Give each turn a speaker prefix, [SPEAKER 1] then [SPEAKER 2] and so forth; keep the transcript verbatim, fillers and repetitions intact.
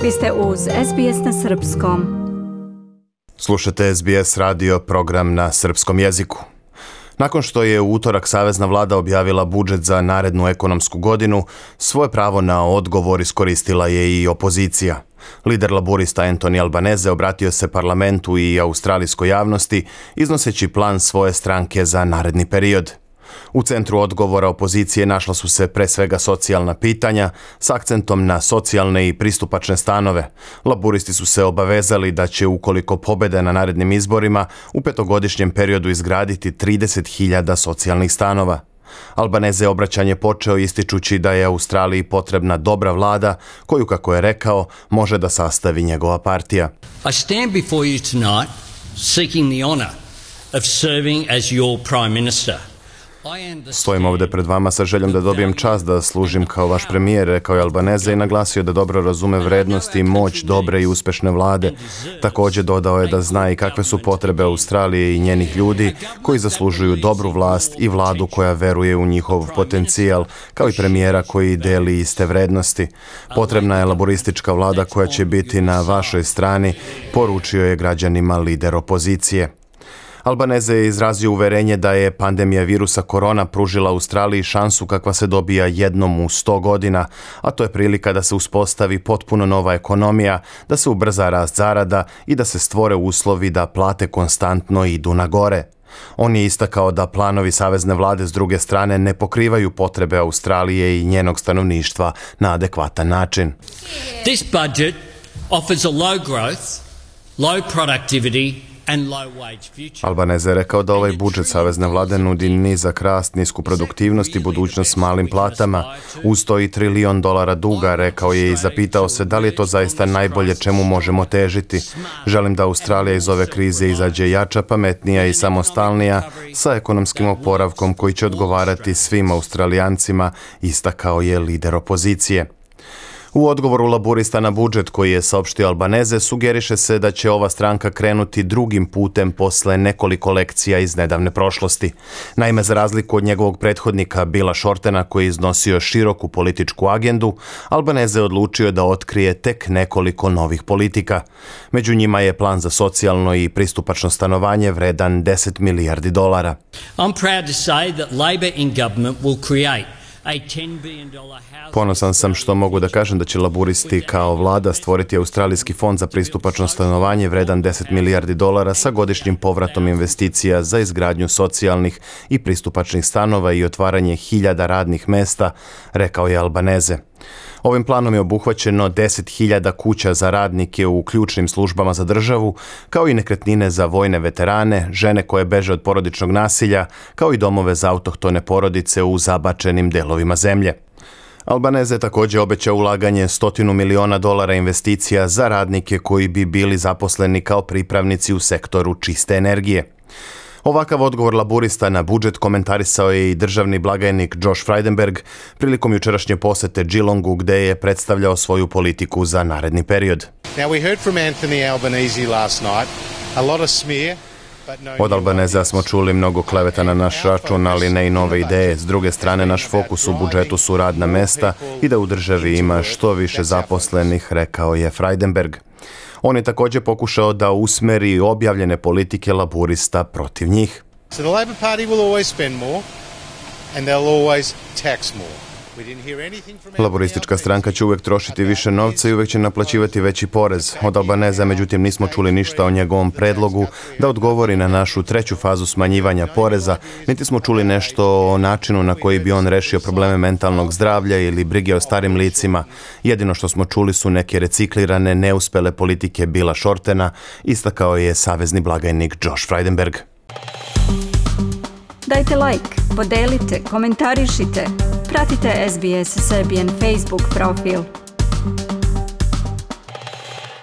[SPEAKER 1] Vi ste uz S B S na srpskom.
[SPEAKER 2] Slušate S B S radio, program na srpskom jeziku. Nakon što je u utorak Savezna vlada objavila budžet za narednu ekonomsku godinu, svoje pravo na odgovor iskoristila je i opozicija. Lider laburista Anthony Albanese obratio se parlamentu i australijskoj javnosti, iznoseći plan svoje stranke za naredni period. U centru odgovora opozicije našla su se pre svega socijalna pitanja s akcentom na socijalne i pristupačne stanove. Laburisti su se obavezali da će, ukoliko pobede na narednim izborima, u petogodišnjem periodu izgraditi trideset hiljada socijalnih stanova. Albanese obraćanje počeo ističući da je Australiji potrebna dobra vlada koju, kako je rekao, može da sastavi njegova partija.
[SPEAKER 3] I stand before you tonight seeking the honor of serving as your prime minister.
[SPEAKER 2] Stojim ovdje pred vama sa željom da dobijem čast da služim kao vaš premijer, rekao je Albanese i naglasio da dobro razume vrednosti i moć dobre i uspešne vlade. Također dodao je da zna i kakve su potrebe Australije i njenih ljudi koji zaslužuju dobru vlast i vladu koja veruje u njihov potencijal, kao i premijera koji deli iste vrednosti. Potrebna je laboristička vlada koja će biti na vašoj strani, poručio je građanima lider opozicije. Albanese je izrazio uverenje da je pandemija virusa korona pružila Australiji šansu kakva se dobija jednom u sto godina, a to je prilika da se uspostavi potpuno nova ekonomija, da se ubrza rast zarada i da se stvore uslovi da plate konstantno idu na gore. On je istakao da planovi savezne vlade s druge strane ne pokrivaju potrebe Australije i njenog stanovništva na adekvatan način.
[SPEAKER 3] This budget offers a low growth, low productivity
[SPEAKER 2] Albanese je rekao da ovaj budžet savezne vlade nudi nizak rast, nisku produktivnost i budućnost s malim platama. Uz to i trilion dolara duga, rekao je i zapitao se da li je to zaista najbolje čemu možemo težiti. Želim da Australija iz ove krize izađe jača, pametnija i samostalnija, sa ekonomskim oporavkom koji će odgovarati svim Australijancima, istakao je lider opozicije. U odgovoru laburista na budžet koji je saopštio Albanese sugeriše se da će ova stranka krenuti drugim putem posle nekoliko lekcija iz nedavne prošlosti. Naime, za razliku od njegovog prethodnika Billa Shortena koji je iznosio široku političku agendu, Albanese je odlučio da otkrije tek nekoliko novih politika. Među njima je plan za socijalno i pristupačno stanovanje vredan deset milijardi dolara.
[SPEAKER 3] I'm proud to say that Labor in government will create
[SPEAKER 2] Ponosan sam što mogu da kažem da će laburisti kao vlada stvoriti Australijski fond za pristupačno stanovanje vredan deset milijardi dolara sa godišnjim povratom investicija za izgradnju socijalnih i pristupačnih stanova i otvaranje hiljada radnih mesta, rekao je Albanese. Ovim planom je obuhvaćeno deset hiljada kuća za radnike u ključnim službama za državu, kao i nekretnine za vojne veterane, žene koje beže od porodičnog nasilja, kao i domove za autohtone porodice u zabačenim delovima zemlje. Albanese je također obećao ulaganje stotinu miliona dolara investicija za radnike koji bi bili zaposleni kao pripravnici u sektoru čiste energije. Ovakav odgovor laburista na budžet komentarisao je i državni blagajnik Josh Frydenberg prilikom jučerašnje posete Geelongu gde je predstavljao svoju politiku za naredni period.
[SPEAKER 4] Now we heard from Anthony Albanese last night, a lot of smear.
[SPEAKER 2] Od Albanesa smo čuli mnogo kleveta na naš račun, ali ne i nove ideje. S druge strane, naš fokus u budžetu su radna mesta i da u državi ima što više zaposlenih, rekao je Frydenberg. On je također pokušao da usmeri objavljene politike laburista protiv njih.
[SPEAKER 4] So the Labor Party will always spend more and they'll always tax more.
[SPEAKER 2] Laboristička stranka će uvijek trošiti više novca i uvijek će naplaćivati veći porez. Od Albanesa, međutim, nismo čuli ništa o njegovom predlogu da odgovori na našu treću fazu smanjivanja poreza, niti smo čuli nešto o načinu na koji bi on rešio probleme mentalnog zdravlja ili brige o starim licima. Jedino što smo čuli su neke reciklirane, neuspele politike Billa Shortena, istakao je savezni blagajnik Josh Frydenberg.
[SPEAKER 1] Dajte like, podelite, komentarišite. Pratite S B S Serbian Facebook profil.